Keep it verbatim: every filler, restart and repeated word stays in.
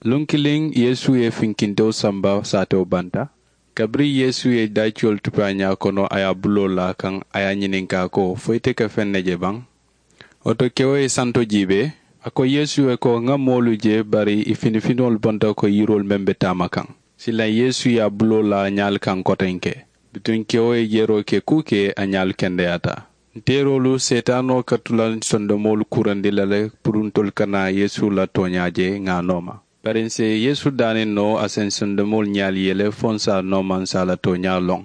Luŋ kiliŋ yeesu ye finkintewo samba saatewo banta. Kabiriŋ yeesu ye daaciyolu tupu a ñaa kono a ye a buloo laa kaŋ, a ye a ñininkaa ko, fo ite ka feŋ ne je baŋ? Wo to kewo ye santo jiibee, a ko yeesu ye ko, ŋa moolu je, bari ì finifinoolu bonta ko yiroolu meŋ be taama kaŋ. Silaŋ yeesu ye a buloo laa ñaalu kaŋ kotenke. Bituŋ kewo ye jeroo ke kuu ke, a ñaalu kendeyaata. Nteeroolu seetaanoo ka tula sondomoolu kurandi la le, puru ntolu kana yeesu la tooñaa je ŋa a nooma. Bari ǹ si yeesu daaniŋ noo a si ǹ sondomoolu ñaalu yele fo ǹ si a nooma ǹ si a la tooñaa loŋ.